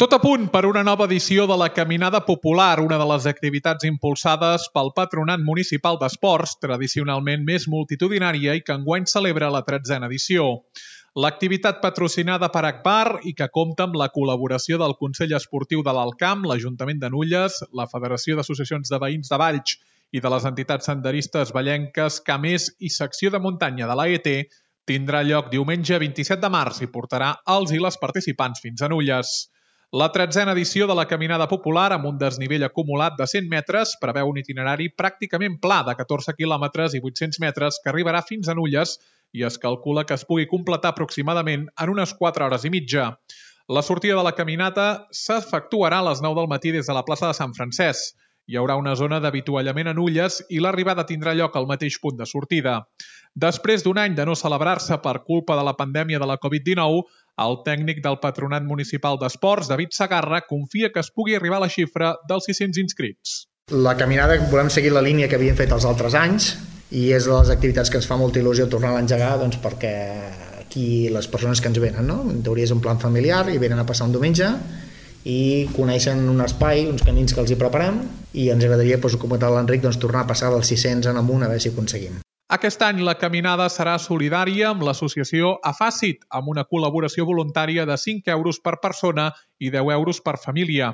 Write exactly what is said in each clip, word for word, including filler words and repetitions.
Tot a punt per una nova edició de la Caminada Popular, una de les activitats impulsades pel Patronat Municipal d'Esports, tradicionalment més multitudinària i que enguany celebra la tretzena edició. L'activitat patrocinada per Agbar i que compta amb la col·laboració del Consell Esportiu de l'Alt Camp, l'Ajuntament de Nulles, la Federació d'Associacions de Veïns de Valls i de les entitats senderistes vallenques, Camés i secció de muntanya de l'A E T, tindrà lloc diumenge vint-i-set de març i portarà els i les participants fins a Nulles. La tretzena edició de la Caminada Popular, amb un desnivell acumulat de cent metres, preveu un itinerari pràcticament pla de catorze quilòmetres i vuit-cents metres que arribarà fins a Nulles i es calcula que es pugui completar aproximadament en unes quatre hores i mitja. La sortida de la caminata s'efectuarà a les nou del matí des de la plaça de Sant Francesc. Hi haurà una zona d'avituallament a Nulles i l'arribada tindrà lloc al mateix punt de sortida. Després d'un any de no celebrar-se per culpa de la pandèmia de la covid dinou, el tècnic del Patronat Municipal d'Esports, David Sagarra, confia que es pugui arribar a la xifra dels sis-cents inscrits. La caminada volem seguir la línia que havíem fet els altres anys i és de les activitats que ens fa molta il·lusió tornar a engegar, doncs, perquè aquí les persones que ens venen, no? En teoria és un plan familiar i venen a passar un diumenge i coneixen un espai, uns camins que els hi preparem i ens agradaria, doncs, com ha l'Enric, doncs, tornar a passar dels sis-cents en amunt a veure si aconseguim. Aquest any la caminada serà solidària amb l'associació Afàcit, amb una col·laboració voluntària de cinc euros per persona i deu euros per família.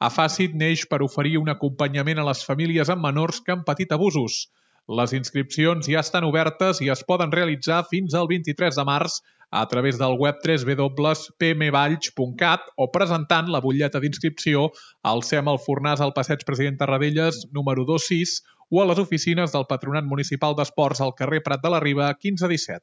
Afàcit neix per oferir un acompanyament a les famílies amb menors que han patit abusos. Les inscripcions ja estan obertes i es poden realitzar fins al vint-i-tres de març a través del web w w w punt p m valls punt cat o presentant la butlleta d'inscripció al C E M El Fornàs al passeig President Tarradellas número dos sis o a les oficines del Patronat Municipal d'Esports al carrer Prat de la Riba quinze disset.